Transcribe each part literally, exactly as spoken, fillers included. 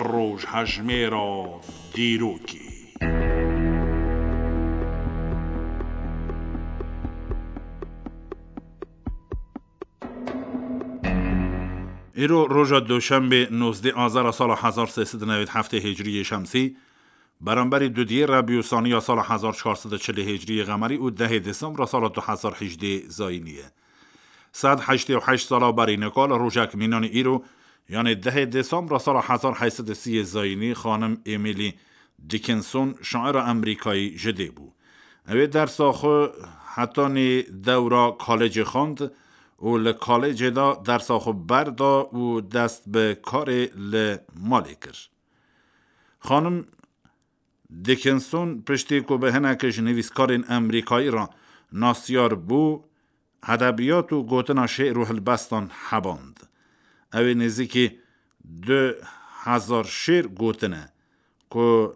Rojhejmêra dîrokê. Îro roja Duşenbê, nozdeh Azara sala hezar sê sed û newêd heftê Hicriyê Şemsî, beramberî dudiyê Rebî û Saniya sala hezar çar sed û çilê Hicriyê Qemerî û dehê Desembra sala du hezar hejdê Zayînî ye. Sed heştê û heşt sala berî nika li rojek mînanî îro, yanê dehê Desembra sala hezar heyt sed û sî yê Zayînî, xanim Emily Dickinson, şaira Amerîkayî ji dê bû. Ew ê dersa xwe hetanî dewra kolejê xwend û li kolejê de dersa xwe berda û dest bi karê li malê kir. Xanim Dickinson piştî ku bi hinekî ji nivîskarên Amerîkayî re nasiyar bû, edebiyat û gotina şê'r û hilbestan heband. Ew ê nêzîkî du hezar şê'r gotine ku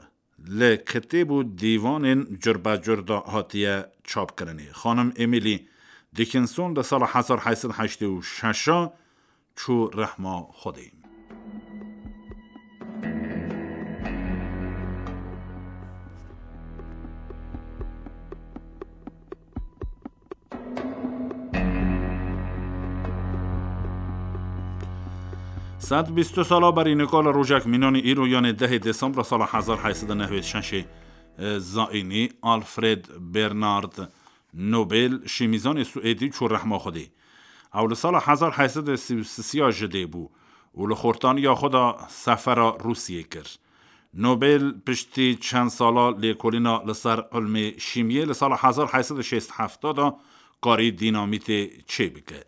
li kitêb û dîwanên curbecur de hatiye çapkirinê. Xanim Emily Dickinson di sala hezar heyt sed heştê û şeş çû rehma Xwedê. Sed bîst û sala berî nika li rojek mînanî îro, yanê dehê Desembra sala hezar heyt sed û newêd şeşê, e, Zayînî, Alfred Bernard Nobel, şîmîzanê Swêdî, çû rehma Xwedê. Ew li sala hezar heyt sed û sî û sisiya ji dê bû û li xortaniya xwe de sefera Rûsiyê kir. Nobel piştî çend sala lêkolîna li ser ilmê şîmiyê li sala hezar heyt sed û şêst hefta de karî dînamîtê çêbike.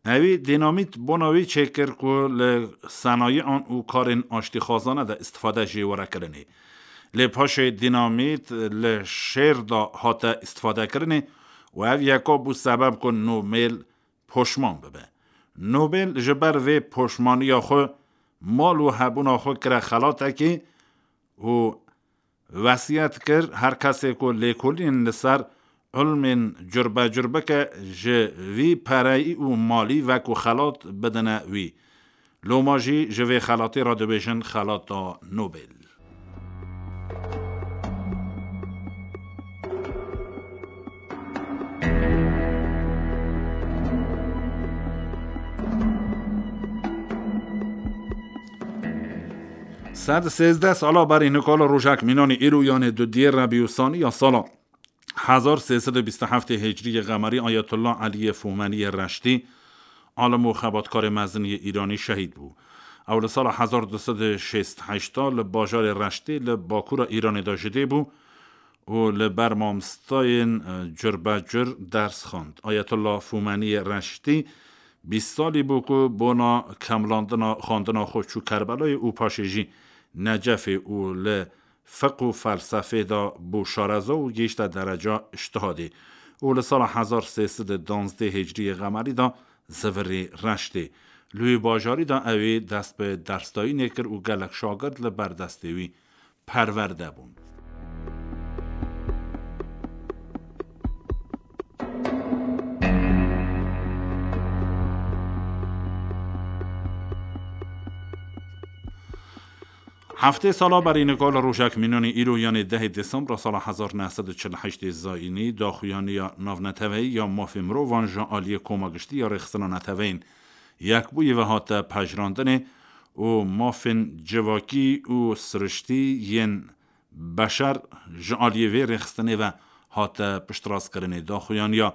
Ewî dînamît bona wî çêkir ku li senayian û karên aştîxwazane de îstifade jê were kirinê. Lê paşê dînamît li şêr de hate îstifadekirinê û ev yeka bû sebeb ku Nobel poşman bibe. Nobel ji ber vê poşmaniya xwe mal û hebûna xwe kire xelatekî û wesiyet kir, her kesê ku lêkolînên li ser ilmên curbecur bike, ji vî pereyî û malî wekû xelat bidine wî. Loma jî ji vê xelatê re dibêjin xelata Nobel. Sed sêzdeh sala berî nika li rojek mînanî îro, yanê dudiyê Rebî û Sanî ya sala hezar sê sed û bîst û heftê Hicriyê Qemerî, Ayetullah Eliyê Fumeniyê Reştî, alim û xebatkarê mezin yê Îranî şehîd bû. Ew li sala hezar du sed û şêst heşta li bajarê Reştî li bakûra Îranê de ji dê bû û li ber mamostayên, e, curbecur ders xwend. Ayetullah Fumeniyê Reştî bîst salî bû ku bona kemlandina xwendina xwe çû Kerbelayê û paşê jî Necefê û li fiq û felsefê de bû şareza û gihîşte dereca îctihadê û li sala hezar sê sed û duwazdeh Hicriyê Qemerî de zivirî Reştê. Li wî bajarî de ew ê dest bi dersdayînê kir û gelek şagird li ber destê wî perwerde bûn. Heftê sala berî nika li rojek mînanî îro, yanê dehê Desembra sala hezar neh sed û çil û heştê Zayînî, daxuyaniya navneteweyî ya mafê mirovan ji aliyê Koma Giştî ya Rêxistina Neteweyên Yekbûyî ve hate pejirandinê û mafên civakî û siriştî yên beşer ji aliyê vê rêxistinê ve hate piştrastkirinê. Daxuyaniya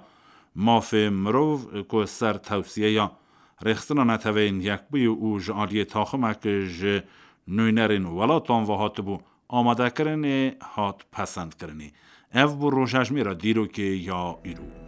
mafê mirov ku ser tewsiyeya Rêxistina Neteweyên Yekbûyî û ji aliyê taximek ji nûnerên welatan ve hatibû amadekirinê, hat pesendkirinê. Ev bû rojhejmêra dîrokê ya îro.